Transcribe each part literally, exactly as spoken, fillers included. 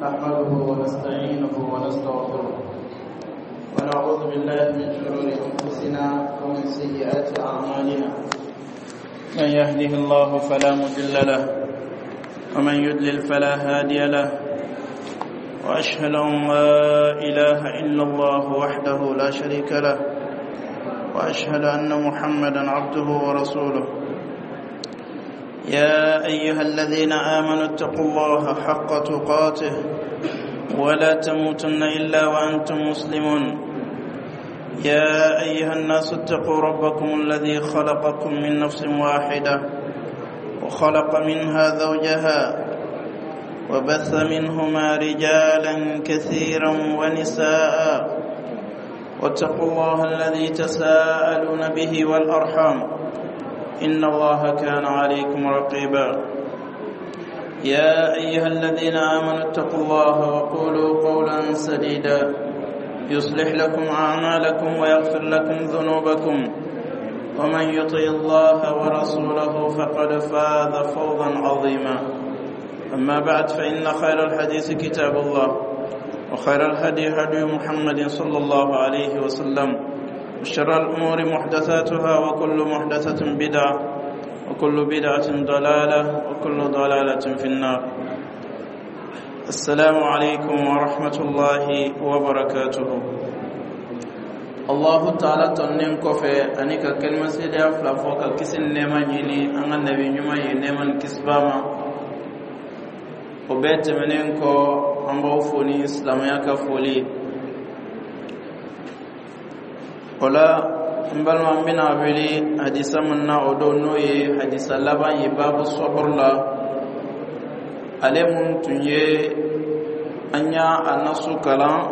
نحمده ونستعينه ونستغفره ونعوذ بالله من شرور أنفسنا ومن سيئات أعمالنا. من يهده الله فلا مضل له ومن يضلل فلا هادي له، وأشهد أن لا إله إلا الله وحده لا شريك له، وأشهد أن محمدا عبده ورسوله. يا أيها الذين آمنوا اتقوا الله حق تقاته ولا تموتن إلا وأنتم مسلمون. يا أيها الناس اتقوا ربكم الذي خلقكم من نفس واحدة وخلق منها زوجها وبث منهما رجالا كثيرا ونساء، واتقوا الله الذي تساءلون به والأرحام إن الله كان عليكم رقيبا. يا أيها الذين آمنوا اتقوا الله وقولوا قولا سديدا يصلح لكم أعمالكم ويغفر لكم ذنوبكم، ومن يطع الله ورسوله فقد فاز فوزا عظيما. أما بعد، فإن خير الحديث كتاب الله، وخير الهدي هدي محمد صلى الله عليه وسلم، وشر الأمور محدثاتها، وكل محدثة بدعة، وكل بدعة ضلالة، وكل ضلالة في النار. السلام عليكم ورحمة الله وبركاته. الله تعالى tɔnnen kɔfɛ ani ka kalima seedeya fila fɔ ka kisi ni nɛɛma ɲini an ka nabi ɲuman ye, nɛɛma ni kisiba ma, o bɛɛ tɛmɛnen kɔ, an b'aw fo ni silamɛya ka foli ye. O la, n balima, n bɛna wele hadisa min na, o don n'o ye hadisa laban ye babu sɔburu la, ale mun tun ye an y'a a nasu kalan,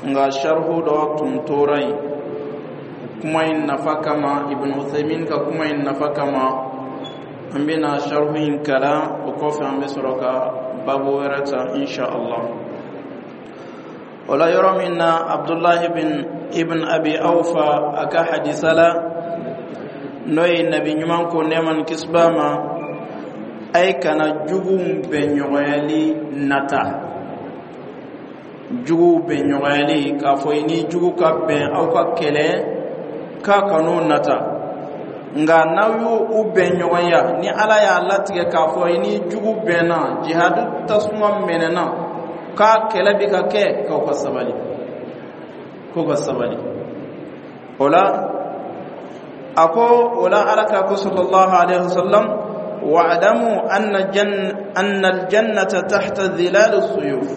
nka sarihu dɔ tun tora yen. Kuma in nafa kama, Ibn Uthaymin ka kuma in nafa kama, an bɛna sarihu in kalan. O kɔfɛ, an bɛ sɔrɔ ka babu wɛrɛ ta, insha Allah. O la, yɔrɔ min na Abdullahi bin Ibn Abi Awfa a ka hadisa la, n'o ye nabi ɲuman ko, nɛɛma ni kisiba ma, a ye kana juguw bɛn ɲɔgɔnyali nata. Juguw bɛn ɲɔgɔnyali, k'a fɔ i ni jugu ka bɛn, aw ka kɛlɛ, k'a kan'o nata. Nka n'aw y'u u bɛn ɲɔgɔnya, ni Ala y'a latigɛ k'a fɔ i ni jugu bɛnna, jihadu tasuma mɛnɛna, k'a kɛlɛ bɛ ka kɛ, k'aw ka sabali, k'o ka sabali. O la, a ko o la, Ala ka ko sallallahu alaihi wasallam: wa'lamu anna jan anna aljannata tahta dhilal as-suyuf.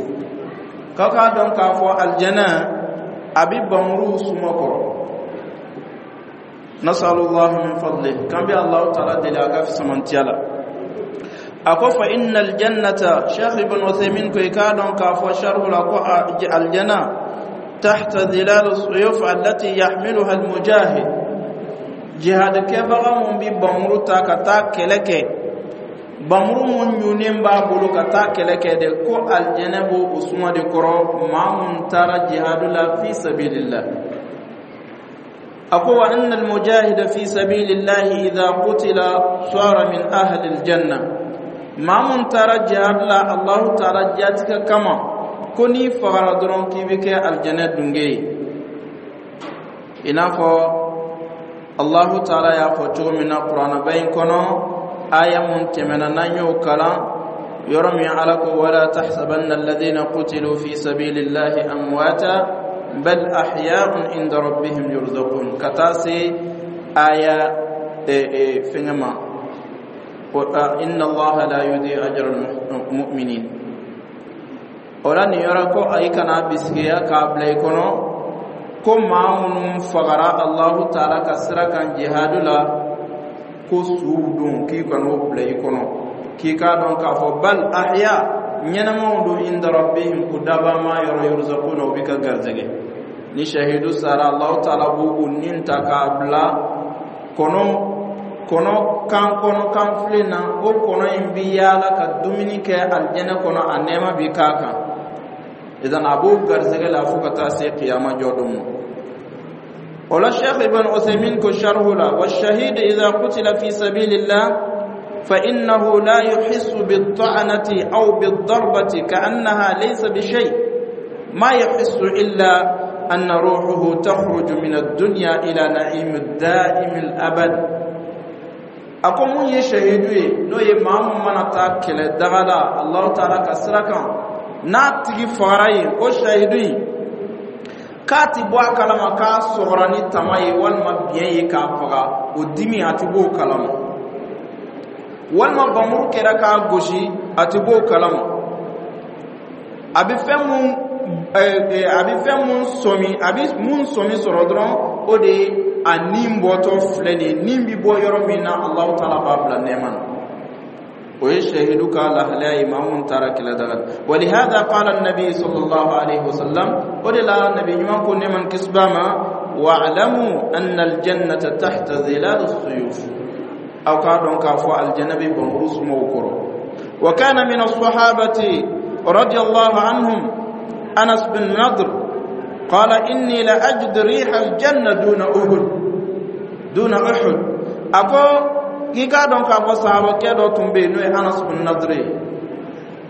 K'aw k'a dɔn k'a fɔ aljana a bi bamuru suma kɔrɔ. Nasalullah min fadli, kan bi Allah ta'ala deli a ka fisamantiya la. A ko fa inna aljannata, Sheikh Ibn Uthaymin ko i k'a dɔn k'a fɔ sharhu la ko aljana tahta dhilal as-suyuf allati yahmiluha al-mujahid, jihad kɛbaga mun bi bamuru ta ka taa kɛlɛ kɛ, bamuru mun ɲunnen b'a bolo ka taa kɛlɛ kɛ de, ko aljɛnɛ b'o o suma de kɔrɔ, maa mun taara jihadu la fi sabilillah. A ko wa anna almujahida fi sabilillahi idha qutila sara min ahli aljanna. Maa mun taara jihadu la Allahu taala jatigɛ kama, ko n'i fagara dɔrɔn, k'i bɛ kɛ aljɛnɛ dunge ye, i n'a fɔ Allahu taala y'a fɔ cogo min na kuranɛba in kɔnɔ, aya mun tɛmɛna n'an y'o kalan, yɔrɔ min Ala ko: wala tahsabanna alladhina qutilu fi sabilillahi amwata bal ahya'un inda rabbihim yurzaqun, ka taa se aya fɛngɛ ma, inna Allaha la yudi ajra almu'minin. O la, nin yɔrɔ ko ayi kana bisigiya k'a bila i kɔnɔ ko maa minnu fagara Allahu taala ka sira kan jihadu la, ko suw don, k'i kan'o bila i kɔnɔ, k'i k'a dɔn k'a fɔ bal ahya, ɲɛnamaw don, inda rabbihim, u dabama yɔrɔ, yurzaquna, u bɛ ka garijɛgɛ. Ni shahidu sara, Allahu taala b'u u nin ta k'a bila kɔnɔ kɔnɔ kan kɔnɔ kan filen na. O kɔnɔ in bi yaala ka dumuni kɛ alijɛnɛ kɔnɔ, a nɛɛma bi k'a kan. Idan a b'o garijɛgɛ la fo ka taa se kiyama jɔ don ma. O la, Sheikh Ibn Uthaymin ko sharhu la: wa shahid idha qutila fi sabilillah. فإنه لا يحس بالطعنة أو بالضربة كأنها ليس بشيء ما يحس إلا أن روحه تخرج من الدنيا إلى نعيم الدائم الأبد. A ko mun ye shahidu ye, n'o ye maa mun mana taa kɛlɛ daga la Allahu taala ka sira kan, n'a tigi fagara yen, o shahidu in k'a ti bɔ a kalama k'a sɔgɔra ni tama ye walima biɲɛ ye k'a faga, o dimi a ti bɔ o kalama, walima bamuru kɛra k'a gosi, a ti bɔ o kalama. A bɛ fɛn mun a bɛ fɛn mun sɔmi, a bɛ mun sɔmi sɔrɔ dɔrɔn, o de ye a nin bɔtɔ filɛ nin ye, nin bɛ bɔ yɔrɔ min na, Alahu taala b'a bila nɛɛma na. O ye shahidu ka lahalaya ye, maa mun taara kɛlɛ daga la. ولهذا قال النبي صلى الله عليه وسلم, o de la nabi ɲuman ko nɛɛma ni kisi b'a ma: واعلموا أن الجنة تحت ظلال السيوف. Aw k'a dɔn k'a fɔ aljana bɛ bamuru sumaw kɔrɔ. وكان من الصحابة رضي الله عنهم أنس بن نضر قال: إني لأجد ريح الجنة دون أحد دون أحد. A ko k'i k'a dɔn k'a fɔ sahabakɛ dɔ tun bɛ yen, n'o ye Anas bin Nadr ye.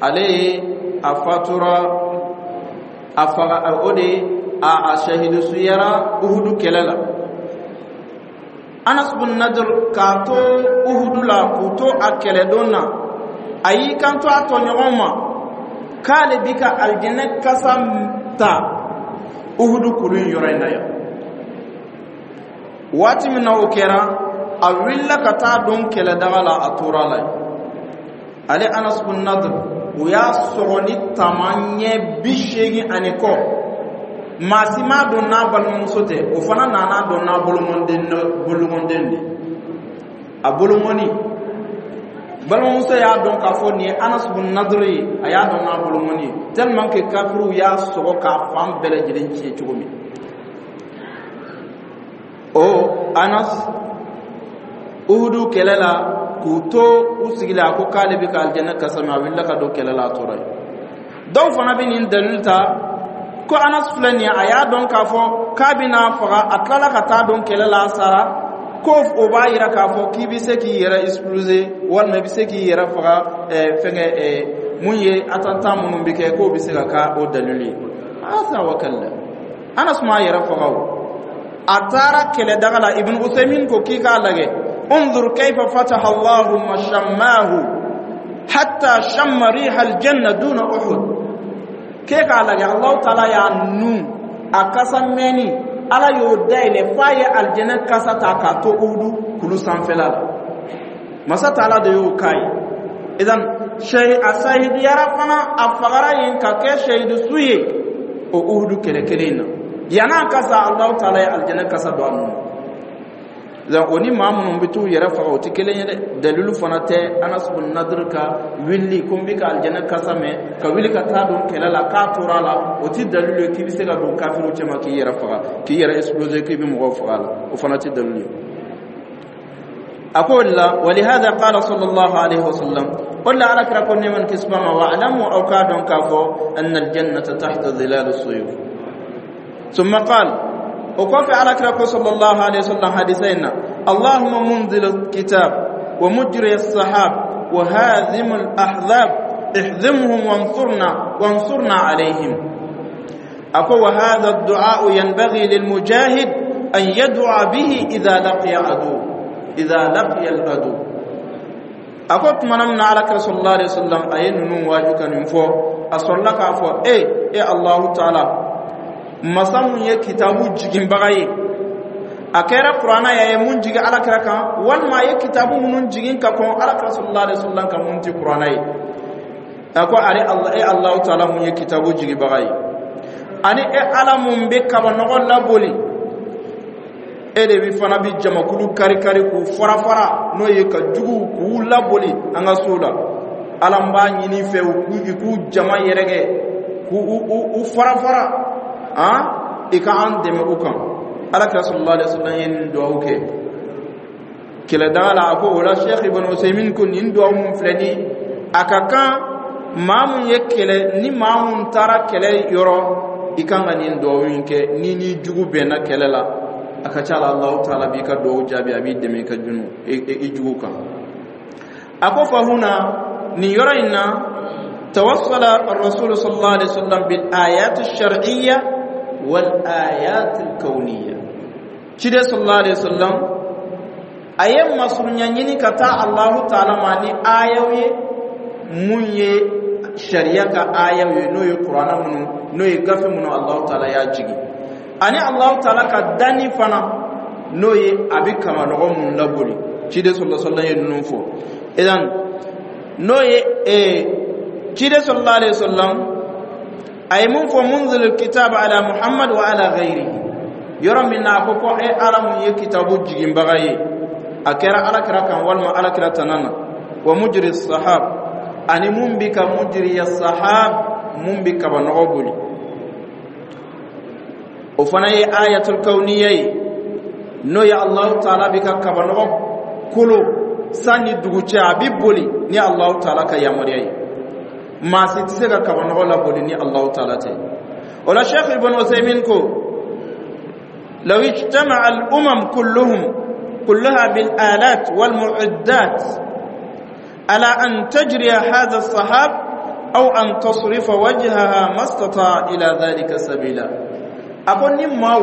Ale ye a fatura, a faga, o de a a shahidu suyara Uhudu kɛlɛ la. Anas bin Nadr, k'a to Uhudu la, k'u to a kɛlɛdon na, a y'i kanto a tɔɲɔgɔn ma k'ale bi ka alijɛnɛ kasa ta Uhudu kulu in yɔrɔ in na yan. Waati min na o kɛra, a wulila ka taa don kɛlɛdaga la, a tora la yen. Ale Anas bin Nadr, u y'a sɔgɔ ni tama ɲɛ bi seegin ani kɔ. Maa si m'a dɔn n'a balimamuso tɛ. O fana nana dɔn n'a bolomɔnden bolomɔnden de. A bolomɔni balimamuso y'a dɔn k'a fɔ nin ye Anas bin Nadr ye. A y'a dɔn n'a bolomɔni ye, tellement que kafiriw y'a sɔgɔ k'a fan bɛɛ lajɛlen tiɲɛ cogo min. O Anas, Uhudu kɛlɛ la, k'u to u sigi la, a ko k'ale bɛ ka alijɛnɛ kasa min. A wulila ka don kɛlɛ la, a tora yen. Dɔw fana bɛ nin dalil ta ko Anas filɛ nin ye, a y'a dɔn k'a fɔ k'a bɛna faga, a tilala ka taa don kɛlɛ la, a sara, ko o b'a yira k'a fɔ k'i bɛ se k'i yɛrɛ exploser walima i bɛ se k'i yɛrɛ faga. ɛɛ fɛnkɛ ɛɛ mun ye attentat minnu bɛ kɛ, k'o bɛ se ka k'a o dalilu ye. Asa wa kalla, Anas m'a yɛrɛ faga, o a taara kɛlɛdaga la. Ibn Usaymin ko k'i k'a lajɛ: انظر كيف فتح الله مشماه حتى شم ريح الجنة دون أحد. K'e k'a lajɛ, Allahu taala y'a nun a kasa mɛnni, Ala y'o dayɛlɛ f'a ye alijɛnɛ kasa ta k'a to Uhudu kulu sanfɛla la. Masa taala de y'o k'a ye. Idan a sahidiyara fana, a fagara yen ka kɛ shahidu su ye o Uhudu kɛlɛ kelen in na. Yan'a kasa, Allahu taala ye alijɛnɛ kasa don a nun na. O ni maa minnu bɛ t'u yɛrɛ faga, o tɛ kelen ye dɛ. Dalilu fana tɛ Anas bin Nadr ka wuli ko n bɛ ka alijɛnɛ kasa mɛn, ka wuli ka taa don kɛlɛ la, k'a tora a la, o tɛ dalilu ye k'i bɛ se ka don kafiriw cɛma k'i yɛrɛ faga, k'i yɛrɛ exploser, k'i bɛ mɔgɔw faga a la. O fana tɛ dalilu ye. A ko o de la: ولهذا قال صلى الله عليه وسلم, o de la Ala kira ko nɛɛma ni kisi b'a ma: واعلموا, aw k'a dɔn k'a fɔ أن الجنة تحت ظلال السيوف. ثم قال, o kɔfɛ Ala kira ko صلى الله عليه وسلم hadisa in na: اللهم منزل الكتاب ومجري السحاب وهازم الأحزاب اهزمهم وانصرنا وانصرنا عليهم. A ko وهذا الدعاء ينبغي للمجاهد أن يدعو به إذا لقي عدو إذا لقي العدو. A ko tuma min na Ala kira صلى الله عليه وسلم a ye ninnu waaju ka nin fɔ, a sɔrɔla k'a fɔ: e e Allahu taala, masa mun ye kitabu jiginbaga ye, a kɛra Kuranna ye, a ye mun jigin Ala kira kan, walima a ye kitabu minnu jigin ka kɔn Ala kira صلى الله عليه وسلم kan, mun tɛ Kuranna ye, a ko ale Allah, e Allahu taala mun ye kitabu jigibaga ye, ani e Ala mun bɛ kabanɔgɔ laboli, e de bi fana bi jamakulu kari-kari k'u fara fara, n'o ye ka juguw k'u laboli an ka so la. Ala, n b'a ɲini fɛ i k'u jama yɛrɛkɛ, k'u u fara fara, han, i ka an dɛmɛ u kan. Ala kira صلى الله عليه وسلم ye nin duwawu kɛ kɛlɛdaga la. A ko o la, Sheikh Ibn Usaymin ko nin duwawu mun filɛ ni a ka kan maa mun ye kɛlɛ, ni maa mun taara kɛlɛ yɔrɔ, i kan ka nin duwawu in kɛ ni ni jugu bɛnna kɛlɛ la. A ka ca la, Allahu taala b'i ka duwawu jaabi, a b'i dɛmɛ i ka junu i jugu kan. A ko fa huna, nin yɔrɔ in na, توصل الرسول صلى الله عليه وسلم بالآيات الشرعية والآيات الكونية. Ciden صلى الله عليه وسلم a ye masurunya ɲini ka taa Allahu taala ma ni ayaw ye, mun ye sariya ka ayaw ye, n'o ye Kuranna minnu, n'o ye gafe minnu Allahu taala y'a jigin, ani Allahu taala ka danni fana, n'o ye a bɛ kamanɔgɔ minnu laboli. Ciden صلى الله عليه وسلم ye ninnu fɔ. Idan n'o ye ee ciden صلى الله عليه وسلم a ye mun fɔ? منزل الكتاب على محمد وعلى غيره. Yɔrɔ min na a ko ko e Ala mun ye kitabu jiginbaga ye, a kɛra Ala kira kan walima Ala kira tana na, ومجري السحاب, ani mun bi ka مجري السحاب, mun bi kabanɔgɔ boli, o fana ye آية الكونية ye, n'o ye Allahu taala bi ka kabanɔgɔ kolo san ni dugu cɛ, a bi boli ni Allahu taala ka yamaruya ye. Maa si tɛ se ka kabanɔgɔ laboli ni Allahu taala tɛ. O la, Sheikh Ibn Uthaymin ko لو اجتمع الأمم كلهم كلها بالآلات والمعدات على أن تجري هذا السحاب أو أن تصرف وجهها ما استطاع إلى ذلك سبيلا. A ko ni maaw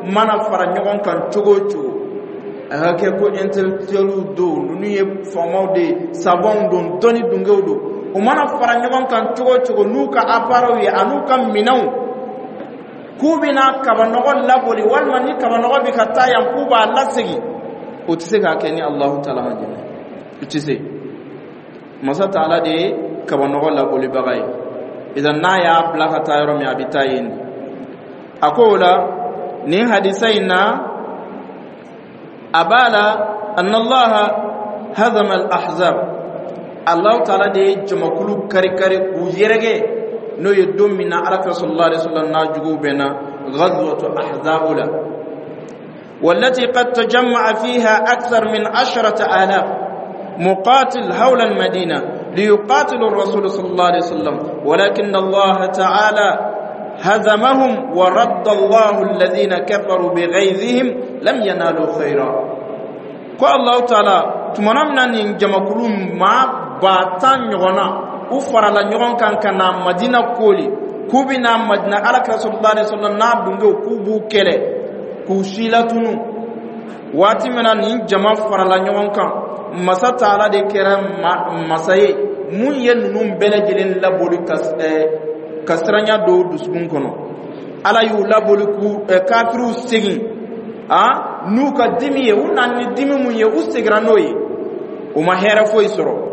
mana fara ɲɔgɔn kan cogo o cogo, a ka kɛ ko intellectuels don, ninnu ye faamaw de ye, savants don, dɔnni dungew don, u mana fara ɲɔgɔn kan cogo o cogo n'u ka appareils ye an'u ka minɛnw, k'u bɛna kabanɔgɔ laboli, walima ni kabanɔgɔ bɛ ka taa yan k'u b'a lasegin, o tɛ se k'a kɛ ni Alahu taala ma jɛnɛ. O tɛ se. Masa taala de ye kabanɔgɔ labolibaga ye. Idan n'a y'a bila ka taa yɔrɔ min, a bɛ taa yen de. A ko o la, nin hadisa in na, a b'a la أن الله هزم الأحزاب. Allahu taala de ye jamakulu kari-kari k'u yɛrɛgɛ, n'o ye don min na Alakira صلى الله عليه وسلم n'a juguw bɛnna غزوة أحزاب la, والتي قد تجمع فيها أكثر من عشرة آلاف مقاتل حول المدينة ليقاتلوا الرسول صلى الله عليه وسلم، ولكن الله تعالى هزمهم ورد الله الذين كفروا بغيظهم لم ينالوا خيرا. Ko Allahu taala tumana min na nin jamakulu maa ba tan ɲɔgɔnna u farala ɲɔgɔn kan ka na Madina koli, k'u bɛna Madina Alakira صلى الله عليه وسلم n'a dungew k'u b'u kɛlɛ k'u silatunu, waati min na nin jama farala ɲɔgɔn kan, masa taala de kɛra masa ye mun ye ninnu bɛɛ lajɛlen laboli ka ka siranya don dusukun kɔnɔ. Ala y'u laboli k'u kafiriw segin a n'u ka dimi ye. U nana ni dimi mun ye, u seginna n'o ye, u ma hɛrɛ foyi sɔrɔ.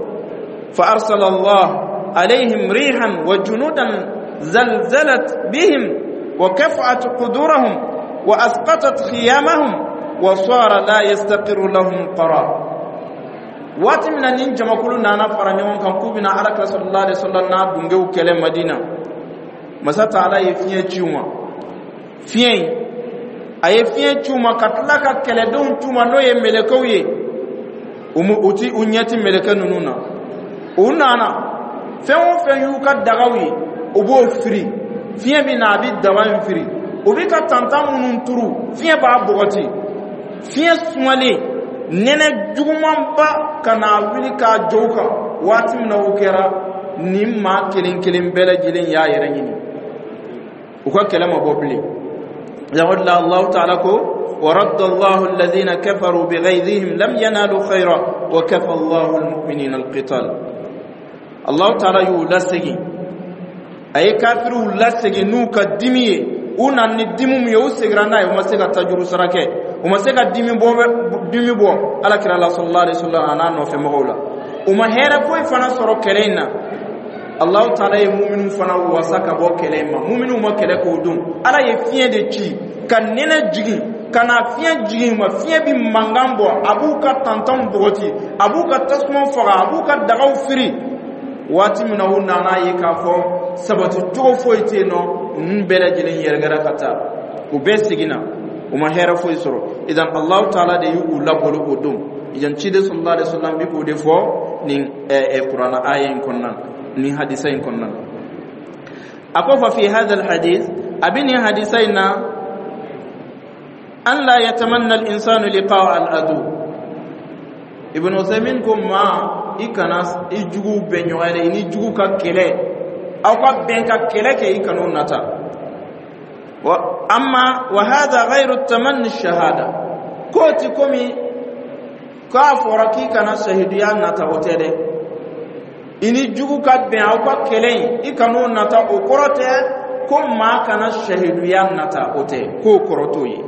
فأرسل الله عليهم ريحا وجنودا زلزلت بهم وكفأت قدورهم وأسقطت خيامهم وصار لا يستقر لهم قرار. Waati min na nin jamakulu nana fara ɲɔgɔn kan k'u bɛna Alakira صلى الله عليه وسلم n'a dungew kɛlɛ Madina, masa taala ye fiɲɛ ci u ma. Fiɲɛ in, a ye fiɲɛ ci u ma ka tila ka kɛlɛdenw ci u ma, n'o ye mɛlɛkɛw ye. U ti u ɲɛ ti mɛlɛkɛ ninnu na. U nana, fɛn o fɛn y'u ka dagaw ye, u b'o firi, fiɲɛ bɛ na, a bɛ daba in firi. U bɛ ka tantan minnu turu, fiɲɛ b'a bɔgɔti. Fiɲɛ sumalen, nɛnɛ jugumanba ka na wuli k'a jɔ u kan. Waati min na o kɛra, nin maa kelen kelen bɛɛ lajɛlen y'a yɛrɛ ɲini, u ka kɛlɛ ma bɔ bilen. O la, Allahu taala ko ورد الله الذين كفروا بغيظهم لم ينالوا خيرا وكفى الله المؤمنين القتال. Allahu taala y'u lasegin, a ye kafiriw lasegin n'u ka dimi ye. U nana ni dimi min ye, u seginna n'a ye. U ma se ka tajuru sara kɛ, u ma se ka dimi bɔ dimi bɔ Ala kira la صلى الله عليه وسلم a n'a nɔfɛ mɔgɔw la. U ma hɛrɛ foyi fana sɔrɔ kɛlɛ in na. Allahu taala ye muminu fana wasa ka bɔ kɛlɛ in ma. Muminu ma kɛlɛ k'o don. Ala ye fiɲɛ de ci ka nɛnɛ jigin, ka na fiɲɛ jigin ma, fiɲɛ bi mankan bɔ, a b'u ka tantanw bɔgɔti, a b'u ka tasuma faga, a b'u ka dagaw firi. Waati min na u nana ye k'a fɔ sabati cogo foyi tɛ yen nɔ, ninnu bɛɛ lajɛlen yɛrɛkɛra ka taa, u bɛɛ seginna, u ma hɛrɛ foyi sɔrɔ. Idan Allahu taala de y'u labolo o don. Idan ciden صلى الله عليه وسلم bi k'o de fɔ nin Kuranna aya in kɔnɔna na, nin hadisa in kɔnɔna na. A ko ففي هذا الحديث, a bɛ nin hadisa in na, أن لا يتمنى الإنسان لقاء العدو. Ibn Uthaymin ko ma I kana i juguw bɛn ɲɔgɔn ye dɛ, i ni jugu ka kɛlɛ, aw ka bɛn ka kɛlɛ kɛ, i kan'o nata. Wa amma wa hadha ghayru tamanni shahada, k'o ti komi k'a fɔra k'i kana shahiduya nata, o tɛ dɛ. I ni jugu ka bɛn aw ka kɛlɛ in, i kan'o nata, o kɔrɔ tɛ ko maa kana shahiduya nata, o tɛ, k'o kɔrɔ t'o ye.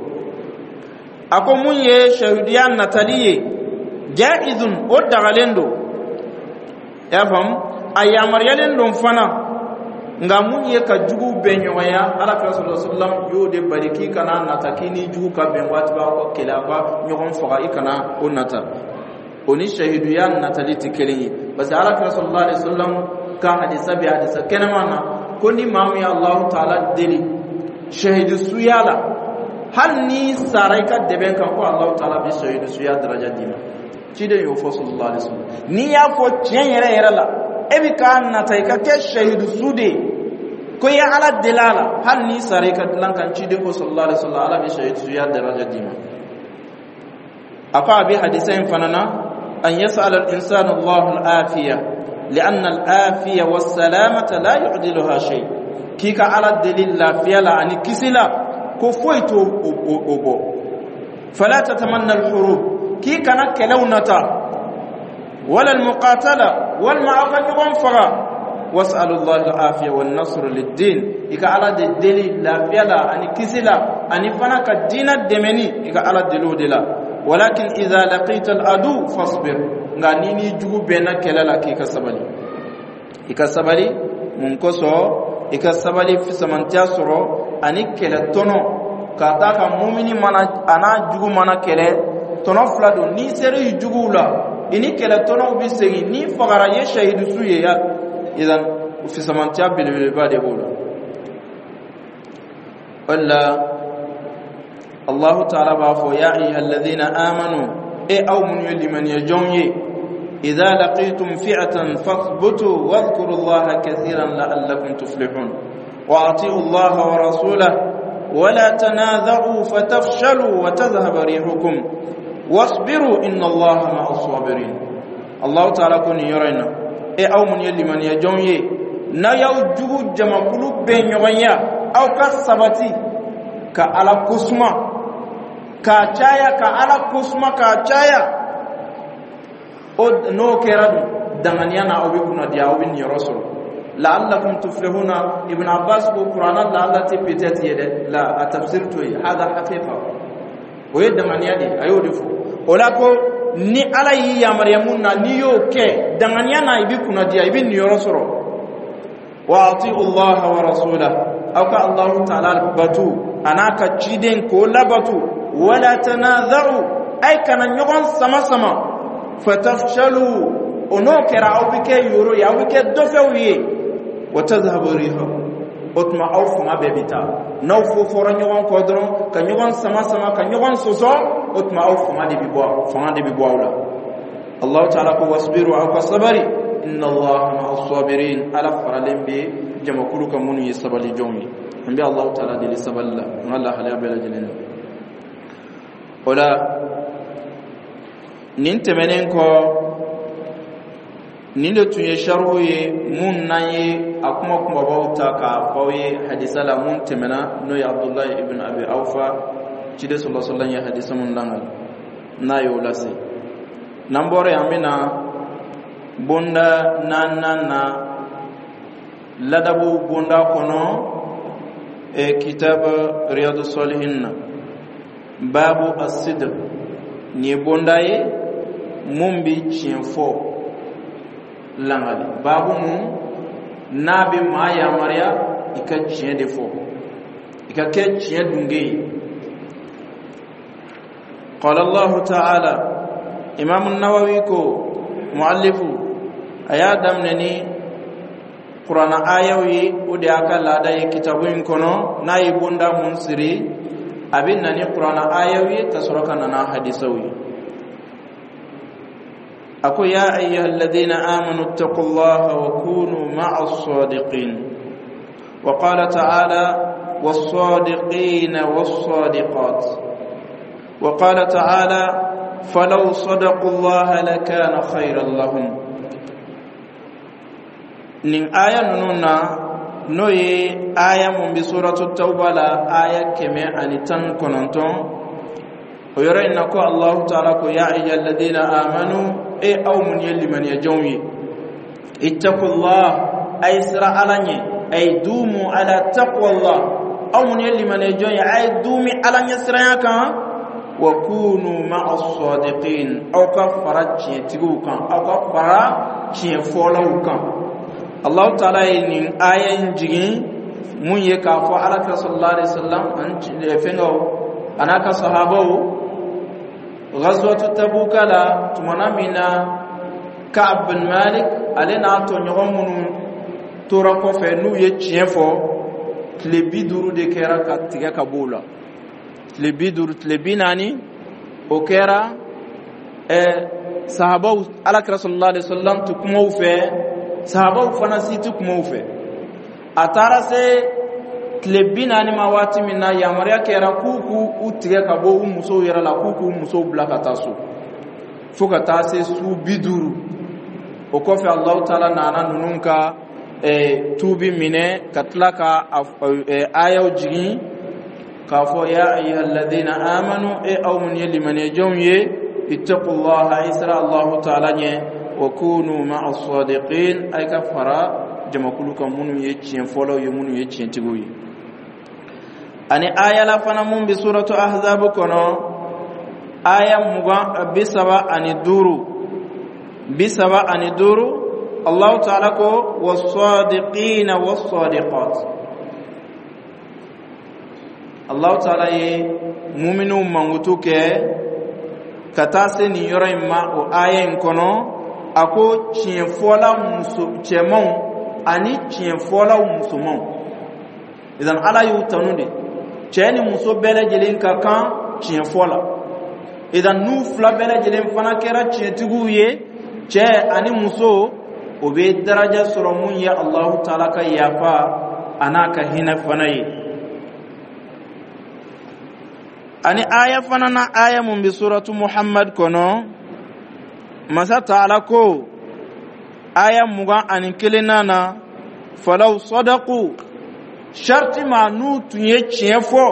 A ko mun ye shahiduya natali ye, jaizun, o dagalen don, i y'a faamu, a yamaruyalen don fana. Nka mun ye ka jugu bɛn ɲɔgɔnya, Ala kira sallallahu alaihi wasallam y'o de bali, k'i kana nata k'i ni jugu ka bɛn waati b'aw ka kɛlɛ, aw ka ɲɔgɔn faga, i kana o nata. O ni shahiduya natali tɛ kelen ye, parce que Ala kira sallallahu alaihi wasallam ka hadisa bɛ hadisa kɛnɛman na ko ni maa min ye Alahu taala deli shahidu suya la, hali n'i sara i ka dɛbɛn kan, ko Alahu taala bɛ shahidu suya daraja d'i ma. Ciden y'o fɔ sallallahu alaihi wasallam. N'i y'a fɔ tiɲɛ yɛrɛ yɛrɛ la, e bɛ k'a nata i ka kɛ shahidu su de ye, ko i ye Ala deli a la, hali n'i sara i ka dilan kan, ciden ko sallallahu alaihi wasallam, Ala bɛ shahidu suya daraja d'i ma. A ko a bɛ hadisa in fana na an yas'al al-insanu Allah al-afiya لأن العافية والسلامة لا يعدلها شيء, k'i ka Ala deli lafiya la ani kisi la, ko foyi t'o o bɔ. فلا تتمنى الحروب, k'i kana kɛlɛw nata, ولا المقاتلة, walima aw ka ɲɔgɔn faga. واسأل الله العافية والنصر للدين, i ka Ala de deli lafiya la ani kisi la ani fana ka diina dɛmɛni, i ka Ala deli o de la. ولكن إذا لقيت العدو فاصبر, nka ni ni jugu bɛnna kɛlɛ la, k'i ka sabali. I ka sabali mun kosɔn? I ka sabali fisamantiya sɔrɔ ani kɛlɛ tɔnɔ, ka d'a kan mumini mana a n'a jugu mana kɛlɛ, tɔnɔ fila don. N'i sera i juguw la, i ni kɛlɛ tɔnɔw bɛ segin, n'i fagara, i ye shahidu ye ya, idan fisamantiya belebeleba de b'o la. O de la Allahu taala b'a fɔ: يا أيها الذين آمنوا, e aw minnu ye limaniya jɔnw ye, إذا لقيتم فئة فاثبتوا واذكروا الله كثيرا لعلكم تفلحون وأطيعوا الله ورسوله ولا تنازعوا فتفشلوا وتذهب ريحكم واصبروا إن الله مع الصابرين. الله تعالى ko nin yɔrɔ in na, e aw minnu ye limaniya jɔnw ye, n'a y'aw jugu jamakulu bɛɛ ɲɔgɔn ya, aw ka sabati ka Ala kosuma k'a caya, ka Ala kosuma k'a caya. O n'o kɛra dun, danganiya na, aw bɛ kunnadiya, aw bɛ niyɔrɔ sɔrɔ. لعلكم تفلحون. Ibn Abbas ko Qur'ana la'alla tɛ peut-être ye dɛ, la, a tafsir to ye, هذا حقيقة, o ye danganiya de ye, a y'o de fɔ. O la ko ni Ala y'i yamaruya mun na, n'i y'o kɛ danganiya na, i bɛ kunnadiya, i bɛ niyɔrɔ sɔrɔ. وأطيعوا الله ورسوله, aw ka Allahu taala batu a n'a ka ciden k'o labatu. ولا تنازعوا, ay kana ɲɔgɔn sama sama, فتفشلوا, o n'o kɛra aw bɛ kɛ yoro ye, aw bɛ kɛ dɔfɛw ye, وتذهب ريحكم, o tuma aw fanga bɛɛ bɛ taa. N'aw fo fɔra ɲɔgɔn kɔ dɔrɔn, ka ɲɔgɔn sama sama, ka ɲɔgɔn sɔsɔ, o tuma aw fanga de bɛ bɔ, fanga de bɛ bɔ aw la. Allahu taala ko واصبروا, aw ka sabari, إن الله مع الصابرين, Ala faralen bɛ jamakulu kan minnu ye sabali jɔnw ye. An bɛ Allahu taala deli sabali la an ka lahalaya bɛɛ lajɛlen na. O la nin tɛmɛnen kɔ, nin de tun ye sarihu ye mun n'an ye a kuma kumabaw ta k'a fɔ aw ye hadisa la mun tɛmɛna, n'o ye Abdulayi ibn Abi Awfa, ciden sallallahu alaihi wasallam ye hadisa mun langali n'a y'o lase. N'an bɔra yen, an bɛna bonda naaninan na, ladabu bonda kɔnɔ, e kitab Riyadu Salihin na, babu الصدق. Nin ye bonda ye mun bi tiɲɛ fɔ langali, babu mun n'a bɛ maa yamaruya i ka tiɲɛ de fɔ, i ka kɛ tiɲɛ dunge ye. قال الله تعالى, Imam Nawawi ko muallifu a y'a daminɛ ni Kurana ayaw ye, o de y'a ka laada ye kitabu in kɔnɔ. N'a ye bonda mun siri, a bɛ na ni Kurana ayaw ye ka sɔrɔ ka na n'a hadisaw ye. A ko: يا أيها الذين آمنوا اتقوا الله وكونوا مع الصادقين. وقال تعالى: والصادقين والصادقات. وقال تعالى: فلو صدقوا الله لكان خيرا لهم. Nin aya ninnu na, n'o ye aya mun bɛ Suratu Tawba la, aya kɛmɛ ani tan kɔnɔntɔn, o yɔrɔ in na ko Allahu taala ko: ya ayyuhalladhina amanu, e aw mun ye limaniyajɔnw ye, ittaqullah, ay sira Ala ɲɛ, ay dumu ala taqwallah. Aw mun ye limaniyajɔn ye, a ye dumi Ala ɲɛsiranya kan. Wa kunu ma'a sadiqin, aw ka fara tiɲɛtigiw kan, aw ka fara tiɲɛfɔlaw kan. Allahu taala ye nin aya in jigin mun ye? K'a fɔ Ala kira sallallahu alaihi wasallam ani fɛngɛw a n'a ka sahabaw ghazwatu Tabuka la, tumana min na Ka'b bin Malik, ale n'a tɔɲɔgɔn minnu tora kɔfɛ, n'u ye tiɲɛ fɔ, tile bi duuru de kɛra ka tigɛ ka b'o la, tile bi duuru, tile bi naani, o kɛra ɛɛ sahabaw, Ala kira sallallahu alaihi wasallam tɛ kuma u fɛ, sahabaw fana si tɛ kuma u fɛ. A taara se tile bi naani ma waati min na, yamaruya kɛra k'u k'u u tigɛ ka bɔ u musow yɛrɛ la, k'u k'u musow bila ka taa so fo ka taa se su bi duuru. O kɔfɛ, Alahu taala nana ninnu ka eh, tuubi minɛ ka tila ka ayaw jigin k'a fɔ: ya ayyuhalladhina amanu, e aw mun ye limaniyajɔnw ye, ittaqullaha, ay sira Allahu taala ɲɛ, wa kunu ma'a sadiqin, ay ka fara jamakulu kan minnu ye tiɲɛ fɔlaw ye, minnu ye tiɲɛtigiw ye. Ani aya la fana mun bɛ Suratu Ahzab kɔnɔ, aya mugan bi saba ani duuru, bi saba ani duuru, Allahu taala ko: was-sadiqina was-sadiqat. Allahu taala ye muminuw mankutu kɛ ka taa se nin yɔrɔ in ma. O aya in kɔnɔ, a ko tiɲɛfɔla muso cɛmanw ani tiɲɛfɔlaw musomanw. Idan Ala y'u tanu de. Cɛ ni muso bɛɛ lajɛlen ka kan tiɲɛfɔ la. Idan n'u fila bɛɛ lajɛlen fana kɛra tiɲɛtigiw ye, cɛ ani muso, o bɛ daraja sɔrɔ mun ye Allahu taala ka yafa a n'a ka hinɛ fana ye. Ani aya fana na, aya mun bɛ Suratu Muhammad kɔnɔ, Masa taala ko aya mugan ani kelenna na: falaw sadaqu, sharti ma n'u tun ye tiɲɛ fɔ,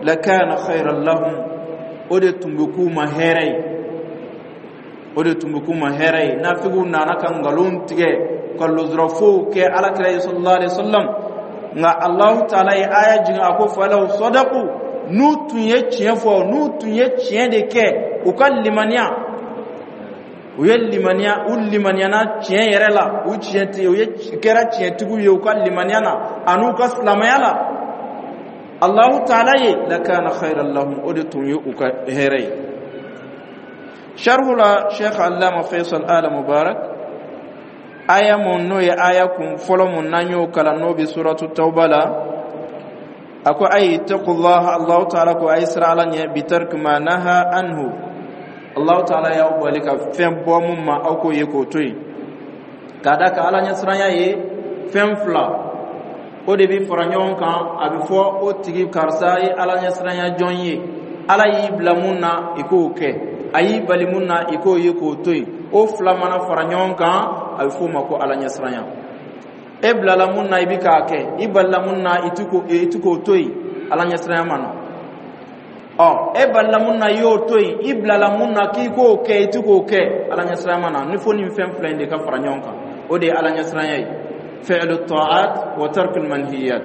lakana khayran lahum, o de tun bɛ k'u ma hɛrɛ ye, o de tun bɛ k'u ma hɛrɛ ye. Nafigiw nana ka nkalon tigɛ ka luzurafow kɛ Ala kira ye sallallahu alaihi wasallam, nka Allahu taala ye aya jigin, a ko: falaw sadaqu, n'u tun ye tiɲɛ fɔ, n'u tun ye tiɲɛ de kɛ, u ka limaniya, u ye limaniya, u limaniyana tiɲɛ yɛrɛ la, u tiɲɛ u ye kɛra tiɲɛtigiw ye u ka limaniya na an'u ka silamɛya la Allahu taala ye, lakana khayran lahum, o de tun ye u ka hɛrɛ ye. Sharhu la, Sheikh Allama Faisal Ala Mubarak, aya mun n'o ye aya kun fɔlɔ mun n'an y'o kalan, n'o bɛ Suratu Tawba la, a ko: ay ittaqullah, Allahu taala ko ay sira Ala ɲɛ, bitarki ma naha anhu, Allahu taala y'aw bali ka fɛn bɔ mun ma, aw k'o ye k'o to yen. K'a da ka Ala ɲɛsiranya ye fɛn fila, o de bɛ fara ɲɔgɔn kan, a bɛ fɔ o tigi karisa ye Ala ɲɛsiranya jɔn ye. Ala y'i bila mun na, i k'o kɛ, a y'i bali mun na, i k'o ye k'o to yen. O fila mana fara ɲɔgɔn kan, a bɛ f'o ma ko Ala ɲɛsiranya. E bilala mun na, i bɛ k'a kɛ, i balila mun na, i ti k'o i ti k'o to yen, Ala ɲɛsiranya ma na. Ɔ, e balila mun na, i y'o to yen, i bilala mun na k'i k'o kɛ, i ti k'o kɛ, Ala ɲɛsiranya ma na. Ni fo nin fɛn fila in de ka fara ɲɔgɔn kan, o de ye Ala ɲɛsiranya ye: fi'lu ta'at wa tarkul manhiyat.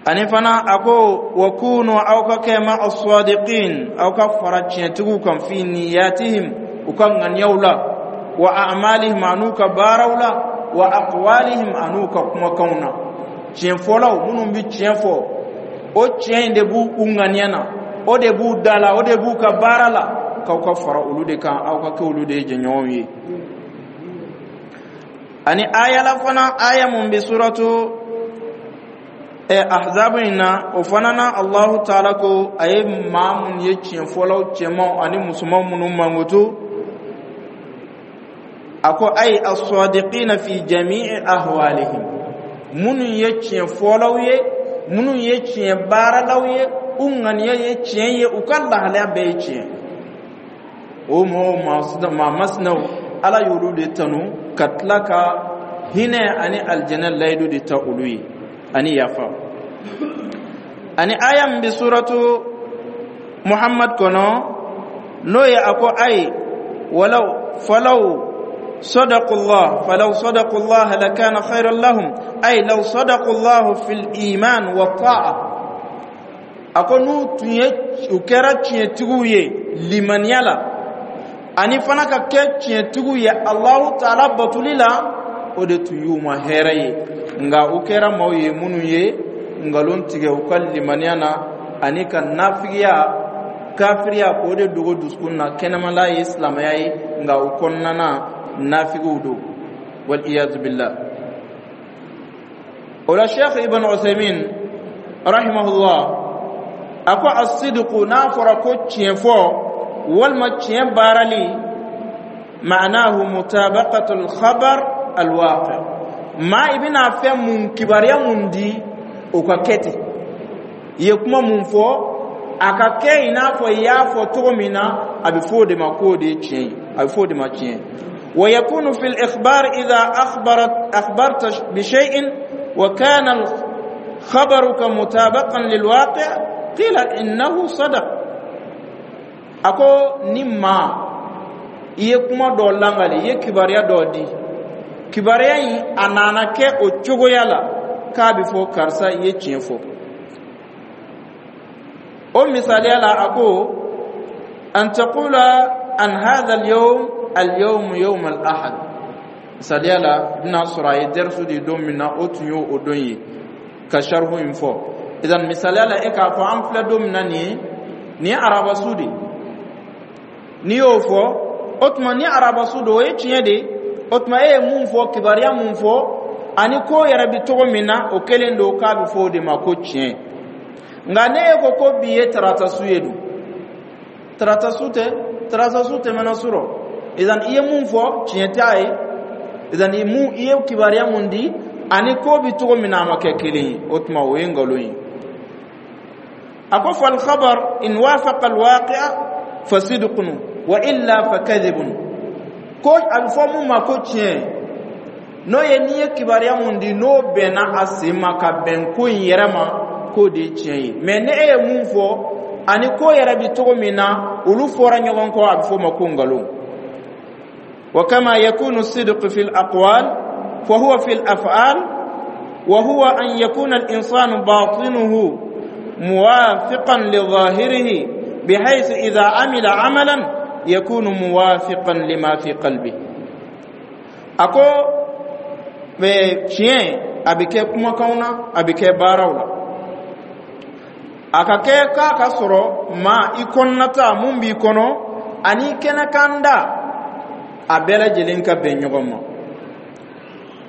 Ani fana a ko: wa kunu, aw ka kɛ, ma as-sadiqin, aw ka fara tiɲɛtigiw kan, fi niyatihim, u ka ŋaniyaw la, wa a'malihim, an'u ka baaraw la, wa aqwalihim, an'u ka kumakanw na. Tiɲɛfɔlaw minnu bɛ tiɲɛ fɔ, o tiɲɛ in de b'u u ŋaniya na, o de b'u da la, o de b'u ka baara la, k'aw ka fara olu de kan, aw ka kɛ olu de ye jɛɲɔgɔnw ye. Ani aya la fana, aya mun bɛ Suratu ɛ Ahzab in na, o fana na, Allahu taala ko a ye maa mun ye tiɲɛfɔlaw cɛmanw ani musomanw minnu mankutu, a ko: ay as-sadiqina fi jami'i ahwalihim, minnu ye tiɲɛfɔlaw ye, minnu ye tiɲɛ baaralaw ye, u ŋaniya ye tiɲɛ ye, u ka lahalaya bɛɛ ye tiɲɛ. O mɔgɔw maa masinaw Ala y'olu de tanu ka tila ka hinɛ ani alijɛnɛ layidu de ta olu ye ani yafa. Ani aya min bɛ suratu Muhammad kɔnɔ, n'o ye a ko ayi walaw falaw صدقوا الله فلو صدقوا الله لكان خيرا لهم، أي لو صدقوا الله في الإيمان والطاعة. A ko n'u tun ye, u kɛra tiɲɛtigiw ye limaniya la, ani fana ka kɛ tiɲɛtigiw ye Alahu Taala batoli la, o de tun y'u ma hɛrɛ ye. Nka u kɛra maaw ye minnu ye nkalon tigɛ u ka limaniya na, ani ka nafigiya, kafiriya, k'o de dogo dusukun na. Kɛnɛmala ye silamɛya ye, nka u kɔnɔna na nafigiw don, wal iyazu billah. O la, Sheikh Ibn Uthaymin rahimahullah a ko asidiku, n'a fɔra ko tiɲɛ fɔ walima tiɲɛ baarali, ma'anahu mutabaqatul khabar alwaqi. Maa i bɛna fɛn mun, kibaruya mun di, o ka kɛ ten. I ye kuma mun fɔ, a ka kɛ i n'a fɔ i y'a fɔ cogo min na. A bɛ fɔ o de ma k'o de ye tiɲɛ ye, a bɛ fɔ o de ma tiɲɛ. ويكون في الإخبار إذا أخبرت أخبرت بشيء وكان خبرك مطابقا للواقع قيل إنه صدق. A ko ni maa i ye kuma dɔ langali, i ye kibaruya dɔ di, kibaruya in a nana kɛ o cogoya la, k'a bɛ fɔ karisa, i ye tiɲɛ fɔ. O misaliya la, a ko an taqula an hadha al-yawm al-yawm yawm al-ahad. Misaliya la, i bɛna sɔrɔ a ye dɛrisu di don min na, o tun y'o o don ye ka sarihu in fɔ. Idan misaliya la, e k'a fɔ an filɛ don min na nin ye, nin ye arabasu de. N'i y'o fɔ, o tuma ni arabasu don, o ye tiɲɛ de. O tuma e ye mun fɔ, kibaruya mun fɔ, ani ko yɛrɛ bɛ cogo min na, o kelen don, k'a bɛ fɔ o de ma ko tiɲɛ. Nka ne e ko ko bi ye taratasu ye dun, taratasu tɛ, taratasu tɛmɛna surɔ. Idan i ye mun fɔ, tiɲɛ t'a ye. Idan i mun, i ye kibaruya mun di, ani ko bɛ cogo min na, a ma kɛ kelen ye. O tuma o ye nkalon ye. A ko fal khabar in wafaqa alwaqi'a fa sidqun wa illa fa kadhibun. Ko a bɛ fɔ mun ma ko tiɲɛ, n'o ye n'i ye kibaruya mun di, n'o bɛnna a sen ma ka bɛn ko in yɛrɛ ma, k'o de ye tiɲɛ ye. Mɛ ni e ye mun fɔ, ani ko yɛrɛ bɛ cogo min na, olu fɔra ɲɔgɔn kɔ, a bɛ f'o ma ko nkalon. وكما يكون الصدق في الأقوال فهو في الأفعال، وهو أن يكون الإنسان باطنه موافقا لظاهره، بحيث إذا عمل عملا يكون موافقا لما في قلبه. A ko tiɲɛ a bɛ kɛ kumakanw na, a bɛ kɛ baaraw la. A ka kɛ k'a ka sɔrɔ maa i kɔnɔnata mun b'i kɔnɔ ani kɛnɛkanda, a bɛɛ lajɛlen ka bɛn ɲɔgɔn ma.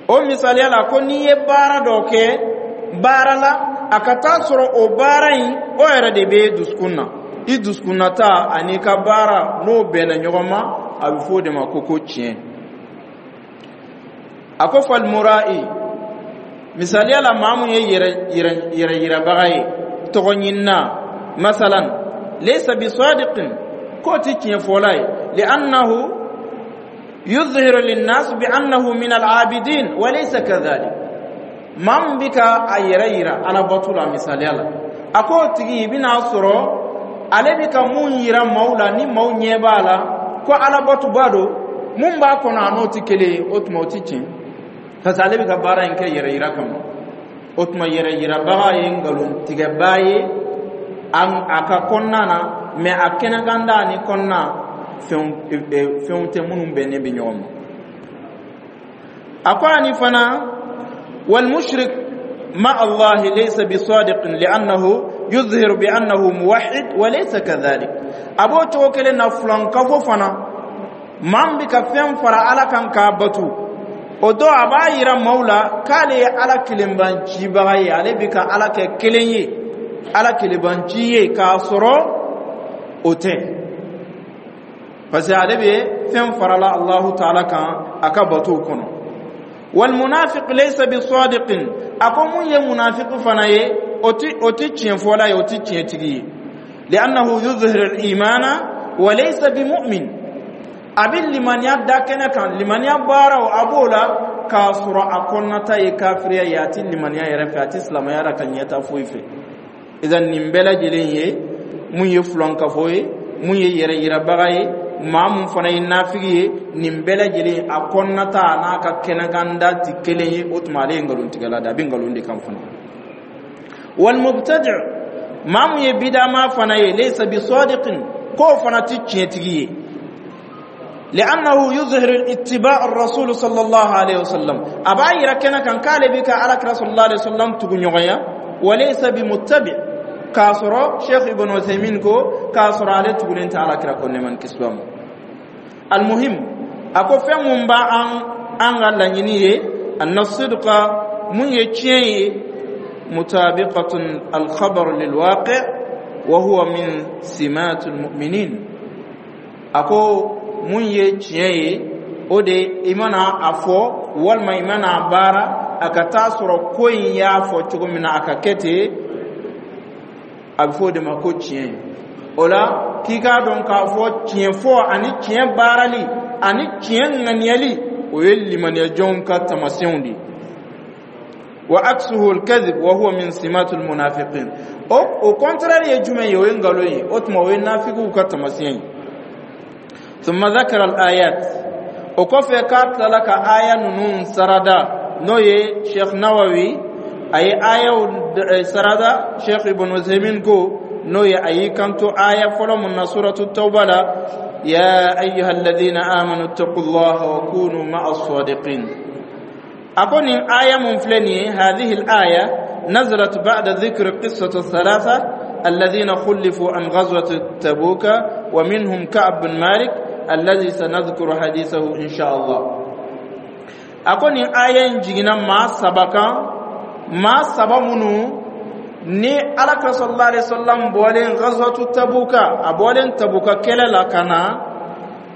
O misaliya la, ko n'i ye baara dɔ kɛ baara la, a ka taa sɔrɔ o baara in, o yɛrɛ de bɛ dusukun na, i dusukunnata ani ka baara, n'o bɛnna ɲɔgɔn ma, a bɛ fɔ o de ma ko ko tiɲɛ. A ko falmura'i, misaliya la, maa mun ye yɛrɛ yɛrɛ yirabaga ye, tɔgɔ ɲinina masalan, laysa bisadiqin, k'o ti tiɲɛ fɔla ye, li'annahu yuzhiru linnas bi annahu min al-abidin wa laysa kadhalik. Maa min bɛ ka a yɛrɛ yira alabato la, misaliya la, a k'o tigi, i bɛna sɔrɔ ale bɛ ka mun yira maaw la, ni maaw ɲɛ b'a la ko alabatoba don, mun b'a kɔnɔ, a n'o tɛ kelen ye. O tuma o tɛ tiɲɛ, parce que ale bɛ ka baara in kɛ yɛrɛ yira kama. O tuma yɛrɛ yirabaga ye nkalontigɛbaa ye a ka kɔnɔna na, mɛ a kɛnɛkanda ni kɔnɔna, fɛnw fɛnw tɛ minnu bɛnnen bɛ ɲɔgɔn ma. A ko ani fana والمشرك مع الله ليس بصادق لأنه يظهر بأنه موحد وليس كذلك. A b'o cogo kelen na, fulankafo fana, maa min bɛ ka fɛn fara Ala kan k'a batu, o dɔ a b'a yira maaw la k'ale ye Ala kelenbancibaga ye, ale bɛ ka Ala kɛ kelen ye, Ala kelenbanci ye, k'a sɔrɔ o tɛ, parce que ale bɛ fɛn farala Alahu Taala kan a ka batow kɔnɔ. والمنافق ليس بصادق. A ko mun ye munafiki fana ye, o ti o ti tiɲɛ fɔla ye, o ti tiɲɛtigi ye, لأنه يظهر الإيمان وليس بمؤمن. A bɛ limaniya da kɛnɛ kan, limaniya baaraw a b'o la, k'a sɔrɔ a kɔnɔnata ye kafiriya ye. A ti limaniya yɛrɛ fɛ, a ti silamɛya la ka ɲɛta foyi fɛ. Idan, nin bɛɛ lajɛlen ye mun ye? Fulankafo ye. Mun ye yɛrɛ yirabaga ye? Maa mun fana ye nafigi ye, nin bɛɛ lajɛlen a kɔnɔnata a n'a ka kɛnɛkanda ti kelen ye. O tuma, ale ye nkalontigɛla de, a bɛ nkalon de kan fana. Walmubtadi, maa mun ye bidama fana ye, laysa bisadiqin, k'o fana ti tiɲɛtigi ye. لأنه يظهر اتباع الرسول صلى الله عليه وسلم، أبا يرى كان كان قال بك على صلى الله عليه وسلم تغنيا، وليس بمتبع. K'a sɔrɔ Sheikh Ibn Uthaymin ko k'a sɔrɔ ale tugulen tɛ Ala kira ko nɛɛma ni kisi b'a ma. Almuhim, a ko fɛn mun b'a an an ka laɲini ye, anna sidqa, mun ye tiɲɛ ye, mutabiqatun alkhabar lilwaqi wa huwa min simatul mu'minin. A ko mun ye tiɲɛ ye, o de i mana a fɔ walima i mana a baara, a ka taa sɔrɔ ko in y'a fɔ cogo min na, a ka kɛ ten, a bɛ fɔ o de ma ko tiɲɛ. O la, k'i k'a dɔn k'a fɔ tiɲɛ fɔ ani tiɲɛ baarali ani tiɲɛ ŋaniyali, o ye limaniyajɔnw ka tamasiyɛnw de ye. Wa aksuhu alkadhib wa huwa min simatul munafiqin. O au contraire ye jumɛn ye? O ye nkalon ye. O tuma, o ye nafigiw ka tamasiyɛn ye. Thumma dhakara al-ayat. O kɔfɛ, k'a tilala ka aya ninnu sarada, n'o ye Sheikh Nawawi, a ye ayaw sarada. Sheikh Ibn Uthaymin ko, n'o ye a y'i kanto aya fɔlɔ mun na Suratu Tawba la: ya ayyuha alladhina amanu ittaqullaha wa kunu ma'a as-sadiqin. A ko nin aya mun filɛ nin ye, hadhihi al-aya nazalat ba'da dhikri qissati thalatha alladhina khulifu an ghazwati Tabuka, wa minhum Ka'b bin Malik alladhi sanadhkuru hadithahu insha Allah. A ko nin aya in jiginna maa saba kan, maa saba minnu ni Alakira sallallahu alaihi wasallam bɔlen ghazwatu Tabuka, a bɔlen Tabuka kɛlɛ la ka na,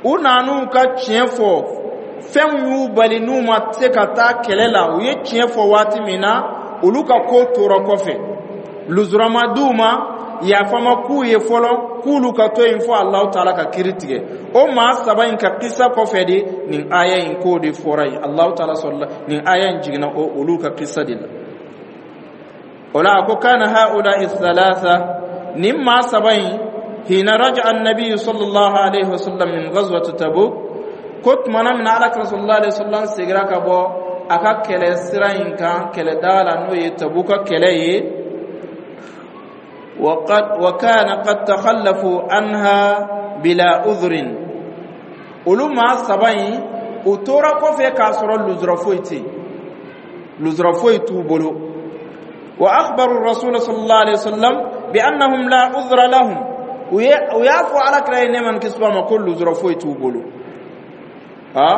u nan'u ka tiɲɛ fɔ. Fɛnw y'u bali n'u ma se ka taa kɛlɛ la. U ye tiɲɛ fɔ waati min na, olu ka ko tora kɔfɛ, luzura ma d'u ma, yafa ma k'u ye fɔlɔ, k'olu ka to yen fo Alahu Taala ka kiiri tigɛ. O maa saba in ka kisa kɔfɛ de, nin aya in k'o de fɔra yen. Alahu Taala sɔrɔla nin aya in jiginna o olu ka kisa de la. O la, a ko kana haula thalatha, nin maa saba in, hina raja annabi sallallahu alaihi wasallam min ghazwati Tabuk, ko tumana min na Alakira sallallahu alaihi wasallam segira ka bɔ a ka kɛlɛ sira in kan, kɛlɛ daga la, n'o ye Tabuka kɛlɛ ye, وقد وكان قد تخلفوا عنها بلا عذر، olu maa saba in, u tora kɔfɛ k'a sɔrɔ luzura foyi tɛ yen, luzura foyi t'u bolo. Wa akhbaru rasul sallallahu alaihi wasallam bi annahum la udhra lahum, u y'a fɔ Alakira ye nɛɛma ni kisi b'a ma ko luzura foyi t'u bolo. Ha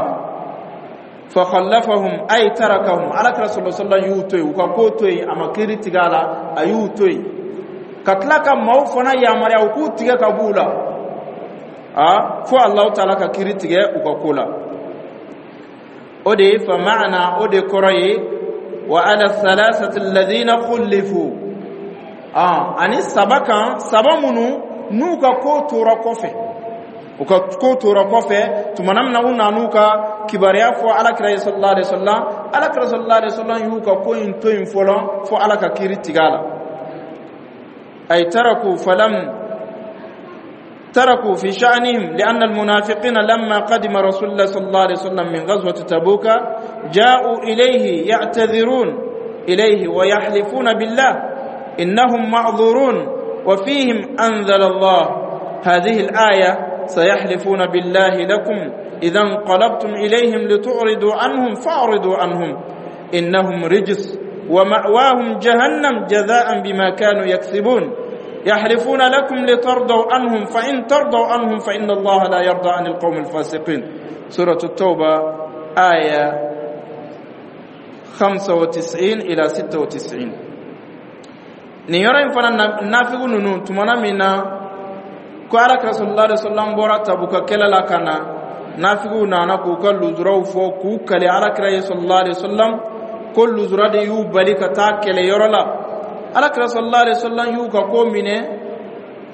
fa khallafahum, ay tarakahum, Alakira sallallahu alaihi wasallam y'u to yen, u ka ko to yen, a ma kiiri tigɛ a la, a y'u to yen, ka tila ka maaw fana yamaruya u k'u tigɛ ka b'u la, a fo Alahu Taala ka kiiri tigɛ u ka ko la. O de ye fa maana, o de kɔrɔ ye wa ala thalathati alladhina khulifu, ani saba kan, saba minnu n'u ka ko tora kɔfɛ, u ka ko tora kɔfɛ tumana min na u nan'u ka kibaruya fɔ Alakira ye sallallahu alaihi wasallam, Alakira sallallahu alaihi wasallam y'u ka ko in to yen fɔlɔ fo Ala ka kiiri tigɛ a la. Ay taraku falam تركوا في شأنهم، لأن المنافقين لما قدم رسول الله صلى الله عليه وسلم من غزوة تبوك جاءوا إليه يعتذرون إليه ويحلفون بالله إنهم معذورون، وفيهم أنزل الله هذه الآية: سيحلفون بالله لكم إذا انقلبتم إليهم لتعرضوا عنهم فأعرضوا عنهم إنهم رجس ومأواهم جهنم جزاء بما كانوا يكسبون. يحلفون لكم لترضوا عنهم فإن ترضوا عنهم فإن الله لا يرضى عن القوم الفاسقين. سورة التوبة آية خمسة وتسعين إلى ستة وتسعين. Nin yɔrɔ in fana, nafigu ninnu, tumana min na ko Alakira sallallahu alaihi wasallam bɔra Tabuka kɛlɛ la ka na, nafigiw nana k'u ka luzuraw fɔ, k'u kale Alakira ye sallallahu alaihi wasallam ko luzura de y'u bali ka taa kɛlɛyɔrɔ la. Alakira sallallahu alaihi wasallam y'u ka ko minɛ,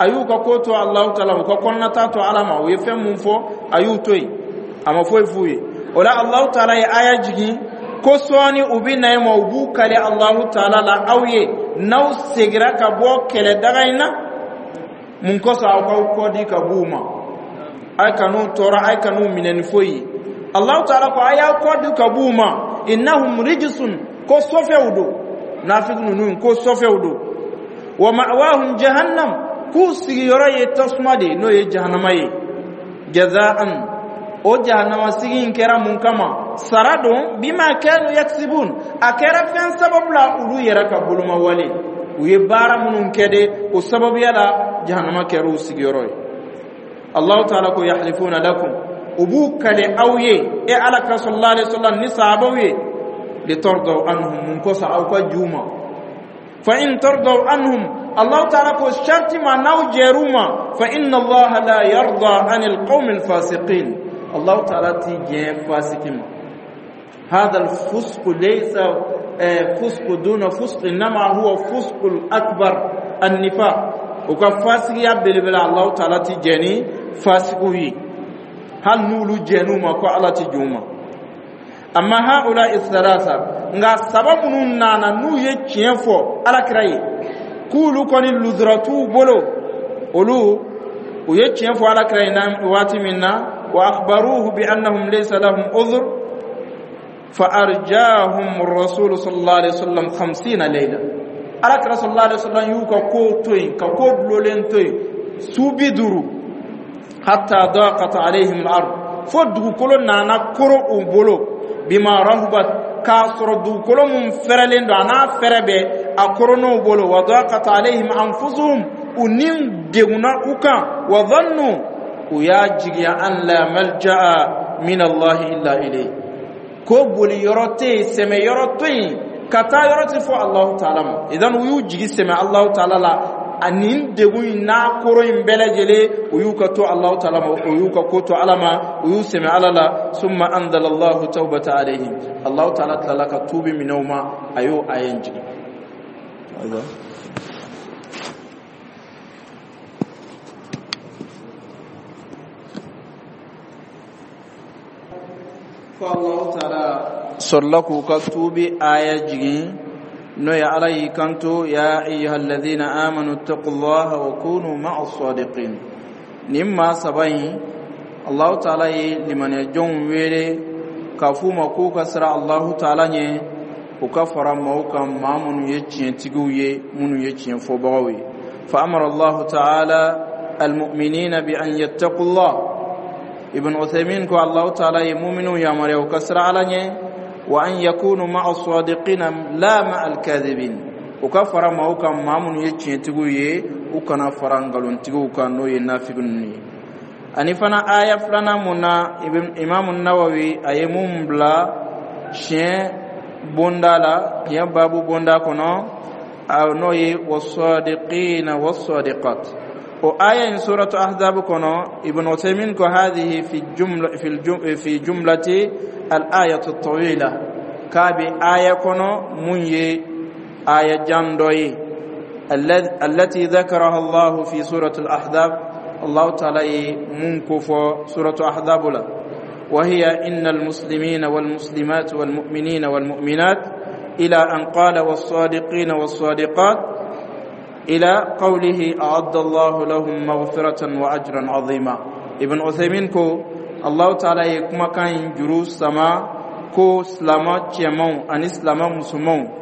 a y'u ka ko to Alahu Taala, u ka kɔnɔnata to Ala ma. U ye fɛn mun fɔ, a y'u to yen. A ma foyi f'u ye. O la, Allahu taala ye aya jigin ko sɔɔni u bɛ na e ma, u b'u kali Allahu taala la aw ye, n'aw segira ka bɔ kɛlɛ daga in na. Mun kosɔn aw k'aw kɔ di ka b'u ma? Ay kan'u tɔɔrɔ, ay kan'u minɛ ni foyi ye. Allahu taala ko a y'aw kɔ di ka b'u ma. Innahum rijsun, ko sɔfɛw don, nafiki ninnu ko sɔfɛw don. Wa ma'wahum jahannam, k'u sigiyɔrɔ ye tasuma de ye, n'o ye jahanama ye. Jazaan, o jahanama sigi in kɛra mun kama? Sara don. Bima kanu yaksibun, a kɛra fɛn sababu la, olu yɛrɛ ka boloma wale, u ye baara minnu kɛ de, o sababuya la jahanama kɛra u sigiyɔrɔ ye. Allahu taala ko yahlifuna lakum, u b'u kale aw ye, e Ala ka sallallahu alaihi wasallam ni sahabaw ye, litardaw anhum, mun kosɔn aw ka ju ma? Fa in tardaw anhum, Allahu taala ko sharti ma n'aw jɛr'u ma, fa inna Allaha la yarda anil qawmi alfasiqin, Allahu taala ti jɛn fasiki ma. هذا الفسق ليس فسق دون فسق، إنما هو فسق الأكبر، النفاق. U ka fasigiya belebele, Allahu taala ti jɛn ni fasigiw ye, hali n'olu jɛn'u ma ko Ala ti jɛn u ma. Amma haula thalatha, nka saba minnu nana n'u ye tiɲɛ fɔ Alakira ye k'olu kɔni luzura t'u bolo, olu u ye tiɲɛ fɔ Alakira ye waati min na, wa akhbaruhu bi annahum laysa lahum udhr, fa arjahum rasul sallallahu alaihi wasallam khamsina layla. Alakira sallallahu alaihi wasallam y'u ka ko to yen, ka ko dulolen to yen su bi duuru, hatta daqat alaihim al-ard, fo dugukolo nana koro u bolo, bima rahubat, k'a sɔrɔ dugukolo mun fɛrɛlen don, a n'a fɛrɛ bɛɛ, a koron'u bolo. Wa daqat alaihim anfusuhum, u ni degunna u kan. Wa dhannu, u y'a jigiya, an la malja'a min Allahi illa ilayhi, ko boli yɔrɔ tɛ yen, sɛmɛ yɔrɔ tɛ yen, ka taa yɔrɔ tɛ fɔ Allahu taala ma. Idan u y'u jigi sɛmɛ Allahu taala la, ani degun in n'a koro in bɛɛ lajɛlen, u y'u ka to Allahu taala ma, u y'u ka ko to Ala ma, u y'u sɛmɛ Ala la. Summa anzala Allahu tawbata alayhim, Allahu taala tilala ka tuubi minɛ u ma, a y'o aya in jigin. Fo Allahu taala sɔrɔla k'u ka tuubi aya jigin, n'o ye Ala y'i kanto: ya ayyuhalladhina amanu ittaqullaha wa kunu ma'a sadiqin. Nin maa saba in, Allahu taala ye limaniyajɔnw wele k'a f'u ma k'u ka siran Allahu taala ɲɛ, u ka fara maaw kan, maa minnu ye tiɲɛtigiw ye, minnu ye tiɲɛ fɔbagaw ye. Fa amara Allahu taala almu'minina bi an yattaqullah. Ibn Uthaymin ko Allahu taala ye mu'minu yamaruya u ka siran Ala ɲɛ, wa an yakunu ma'a sadiqina la ma'a al-kadhibin, u ka fara maaw kan, maa minnu ye tiɲɛtigiw ye, u kana fara nkalontigiw kan, n'o ye nafigi ninnu ye. Ani fana aya filanan mun na Imamu Nawawi a ye mun bila tiɲɛ bonda la, tiɲɛ babu bonda kɔnɔ, n'o ye wasadiqina wasadiqat, o aya in suratu Ahzab kɔnɔ, Ibn Uthaymin ko hadhihi fi jumla fi fi jumlati al ayatu tawila, k'a bɛ aya kɔnɔ mun ye aya jan dɔ ye, allati dhakaraha Allah fi surati al Ahzab, Allah ta'ala ye mun ko fɔ suratu Ahzab la. وهي إن المسلمين والمسلمات والمؤمنين والمؤمنات، إلى أن قال والصادقين والصادقات، إلى قوله أعد الله لهم مغفرة وأجرا عظيما. Ibn Uthaymin ko الله تعالى ye kumakan in juru sama ko silama cɛmanw ani silama musomanw,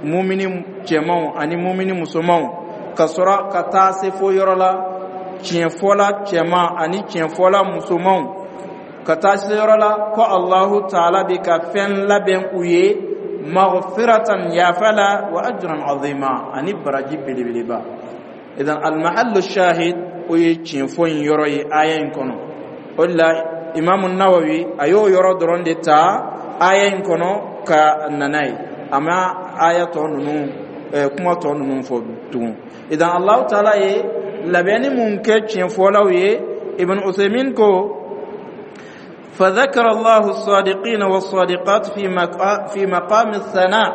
mumini cɛmanw ani mumini musomanw, ka sɔrɔ ka taa se fo yɔrɔ la, tiɲɛfɔla cɛman ani tiɲɛfɔla musomanw, ka taa se yɔrɔ la ko Allahu taala bɛ ka fɛn labɛn u ye, maghfiratan, yafa la, wa ajran azima, ani baraji belebeleba. Idan almahallu shahid, o ye tiɲɛ fɔ in yɔrɔ ye aya in kɔnɔ. O de la Imamu Nawawi a y'o yɔrɔ dɔrɔn de ta aya in kɔnɔ ka na n'a ye, a ma aya tɔ ninnu, kuma tɔ ninnu fɔ tugun. Idan Allahu taala ye labɛnni mun kɛ tiɲɛfɔlaw ye? Ibn Uthaymin ko فذكر الله الصادقين والصادقات في في مقام الثناء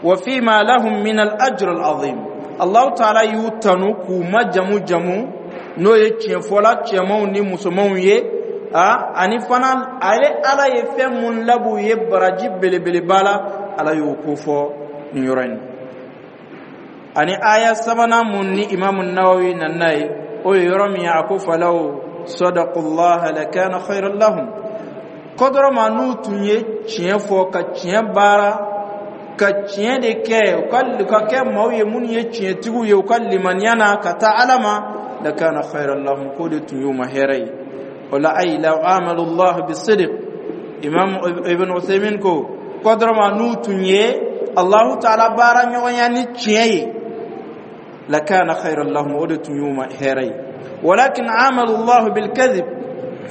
وفيما لهم من الأجر العظيم. الله تعالى y'u tanu k'u ma jamu jamu, n'o ye tiɲɛfɔla cɛmanw ni musomanw ye. A ani fana, ale Ala ye fɛn mun lab'u ye baraji belebeleba la, Ala y'o ko fɔ nin yɔrɔ in. Ani aya sabanan mun ni Imamu Nawawi nana ye, o ye yɔrɔ min ye, a ko: falaw sadaqullaha lakana khayran lahum. Kɔdɔrɔ ma, n'u tun ye tiɲɛ fɔ, ka tiɲɛ baara, ka tiɲɛ de kɛ, u ka ka kɛ maaw ye minnu ye tiɲɛtigiw ye, u ka limaniya na ka taa Ala ma, lakana khayran lahum, k'o de tun y'u ma hɛrɛ ye. O la, ay law amalu Allah bisidq. Imam Ibn Uthaymin ko kɔdɔrɔ ma, n'u tun ye Allahu Taala baara ɲɔgɔnya ni tiɲɛ ye, lakana khayran lahum, o de tun y'u ma hɛrɛ ye. ولكن عاملوا الله بالكذب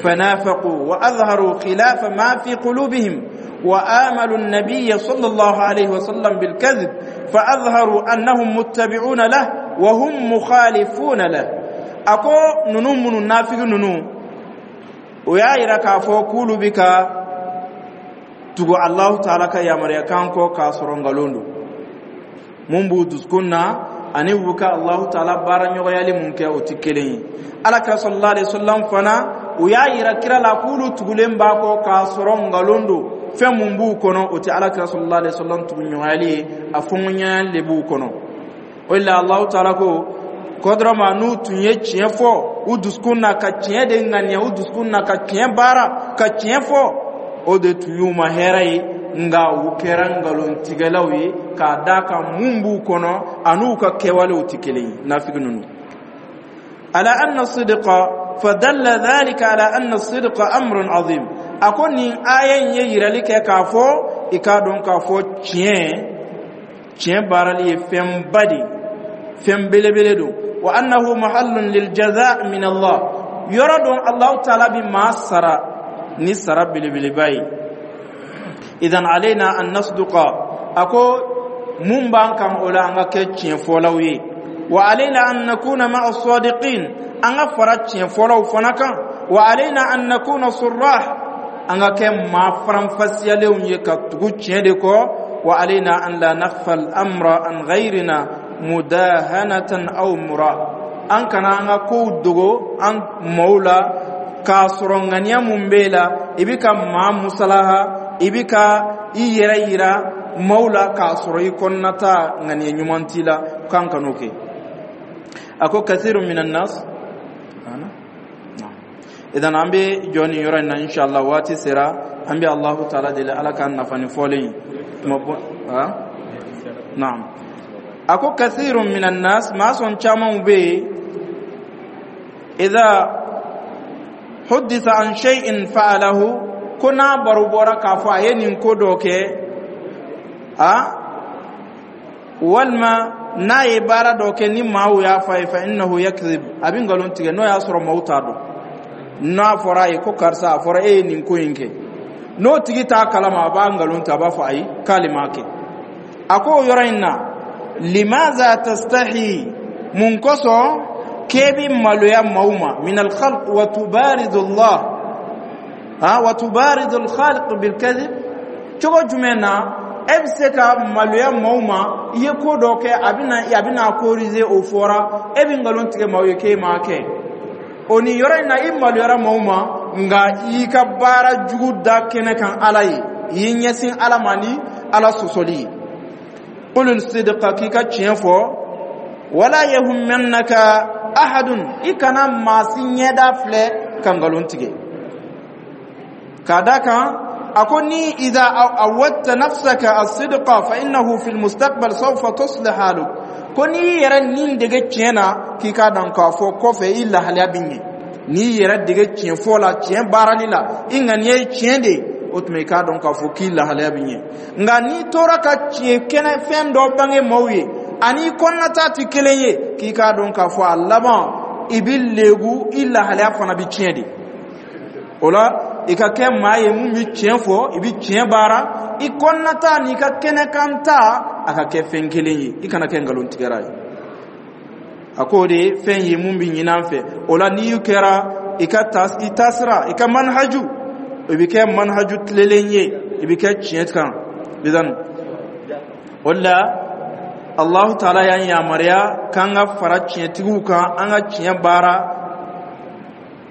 فنافقوا وأظهروا خلاف ما في قلوبهم، وآملوا النبي صلى الله عليه وسلم بالكذب فأظهروا أنهم متبعون له وهم مخالفون له. أكو ننو من نافق ننو ويا يرا كافو كولو بك tugu Allahu Taala ka yamaruya kan kɔ k'a sɔrɔ nkalon don mun b'u dusukun na, ani u ka Allahu Taala baara ɲɔgɔnyali mun kɛ, o tɛ kelen ye. Ala kira sallallahu alaihi wasallam fana, u y'a yira kira la k'olu tugulen b'a kɔ k'a sɔrɔ nkalon don. Fɛn mun b'u kɔnɔ, o tɛ ala kira sallallahu alaihi wasallam tuguɲɔgɔnyali ye, a fɔɲɔgɔnyali de b'u kɔnɔ. O de la, Allahu Taala ko kɔdɔrɔma, n'u tun ye tiɲɛ fɔ u dusukun na, ka tiɲɛ de ŋaniya u dusukun na, ka tiɲɛ baara, ka tiɲɛ fɔ, o de tun y'u ma hɛrɛ ye. Nka u kɛra nkalontigɛlaw ye k'a d'a kan mun b'u kɔnɔ an'u ka kɛwalew tɛ kelen ye, nafigi ninnu. على أن الصدق فدل ذلك على أن الصدق أمر عظيم. A ko nin aya in ye yirali kɛ k'a fɔ i k'a dɔn k'a fɔ tiɲɛ tiɲɛ baarali ye fɛnba de, fɛn belebele don. Wa annahu mahallun lil jaza min Allah, yɔrɔ don Allahu Taala bi maa sara ni sara belebeleba ye. Idan alaina an nasduqa. A ko mun b'an kan o la, an ka kɛ tiɲɛfɔlaw ye. Wa alaina an nakuna ma'a sadiqin, an ka fara tiɲɛfɔlaw fana kan. Wa alaina an nakuna surrah, an ka kɛ maa faranfasiyalenw ye ka tugu tiɲɛ de kɔ. Wa alaina an la nakhfa al-amra an ghayrina mudahanatan aw mura, an kana an ka kow dogo an maaw la k'a sɔrɔ ŋaniya mun b'e la, i bi ka maa musalaha, i bi ka i yɛrɛ yira maaw la k'a sɔrɔ i kɔnɔnata ŋaniya ɲuman t'i la, k'an kan'o kɛ. A ko kathiru minan nas. Idan an bɛ jɔ nin yɔrɔ in na, inshallah. Waati sera, an bɛ Allahu Taala deli, Ala k'an nafa ni fɔlen ye. Tuma bɔ naam. A ko kathiru minan nas, maa sɔn camanw bɛ yen, idha hudditha an shay'in fa'alahu, ko n'a baro bɔra k'a fɔ a ye nin ko dɔ kɛ, a walima n'a ye baara dɔ kɛ, ni maaw y'a fɔ a ye, fa innahu yakdhib, a bɛ nkalon tigɛ. N'o y'a sɔrɔ maaw t'a dɔn, n'a fɔra a ye ko karisa, a fɔra e ye nin ko in kɛ, n'o tigi t'a kalama, a b'a nkalon tigɛ, a b'a fɔ ayi, k'ale m'a kɛ. A ko o yɔrɔ in na, limaza tastahi, mun kosɔn k'e bi maloya maaw ma, min alkhalq wa tubaridu Allah ha wa tubaridu alkhaliq bilkadhib? Cogo jumɛn na e bɛ se ka maloya maaw ma, i ye ko dɔ kɛ, a bɛna a bɛna corriger, o fɔra, e bɛ nkalon tigɛ maaw ye k'e m'a kɛ? O nin yɔrɔ in na, i maloyara maaw ma, nka i y'i ka baara jugu da kɛnɛ kan Ala ye, i y'i ɲɛsin Ala ma ni Ala sɔsɔli ye. Qul sidqa, k'i ka tiɲɛ fɔ. Wala yahummannaka ahadun, i kana maa si ɲɛda filɛ ka nkalon tigɛ. K'a da kan, a ko ni idha awadta nafsaka as-sidqa fa innahu fi al-mustaqbal sawfa tuslih haluk. Ko n'i yɛrɛ nin dege tiɲɛ na, k'i k'a dɔn k'a fɔ kɔfɛ i lahalaya bɛ ɲɛ. N'i yɛrɛ dege tiɲɛ fɔ la, tiɲɛ baarali la, i ŋaniya ye tiɲɛ de ye, o tuma i k'a dɔn k'a fɔ k'i lahalaya bɛ ɲɛ. Nka n'i tora ka tiɲɛ kɛnɛ fɛn dɔ bange maaw ye, ani i kɔnɔnata tɛ kelen ye, k'i k'a dɔn k'a fɔ a laban i bɛ leegu, i lahalaya fana bɛ tiɲɛ de. O la, i ka kɛ maa ye mun bɛ tiɲɛ fɔ, i bɛ tiɲɛ baara, i kɔnɔnata n'i ka kɛnɛkanta a ka kɛ fɛn kelen ye, i kana kɛ nkalontigɛra ye. A k'o de ye fɛn ye mun bɛ ɲini an fɛ. O la, n'i kɛra i ka i taasira, i ka manhaju, i bɛ kɛ manhaju tilelen ye, i bɛ kɛ tiɲɛ kan. Idan o la, Allahu Taala y'an yamaruya k'an ka fara tiɲɛtigiw kan, an ka tiɲɛ baara,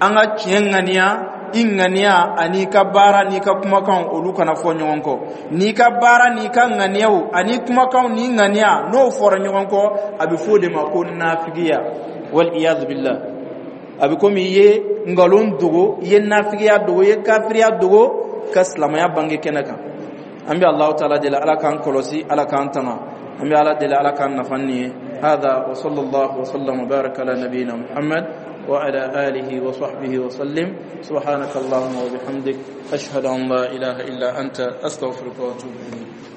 an ka tiɲɛ ŋaniya. I ŋaniya ani ka baara n'i ka kumakanw, olu kana fɔ ɲɔgɔn kɔ. N'i ka baara n'i ka ŋaniyaw ani kumakanw n'i ŋaniya, n'o fɔra ɲɔgɔn kɔ, a bɛ fɔ o de ma ko nafigiya, wal iyadu billah. A bɛ komi i ye nkalon dogo, i ye nafigiya dogo, i ye kafiriya dogo ka silamɛya bange kɛnɛ kan. An bɛ Alahu taala deli, Ala k'an kɔlɔsi, Ala k'an tanga. An bɛ Ala deli, Ala k'an nafa nin ye. هذا وصلى الله وسلم وبارك على نبينا محمد وعلى آله وصحبه وسلم. سبحانك اللهم وبحمدك، أشهد أن لا إله إلا أنت، أستغفرك وأتوب إليك.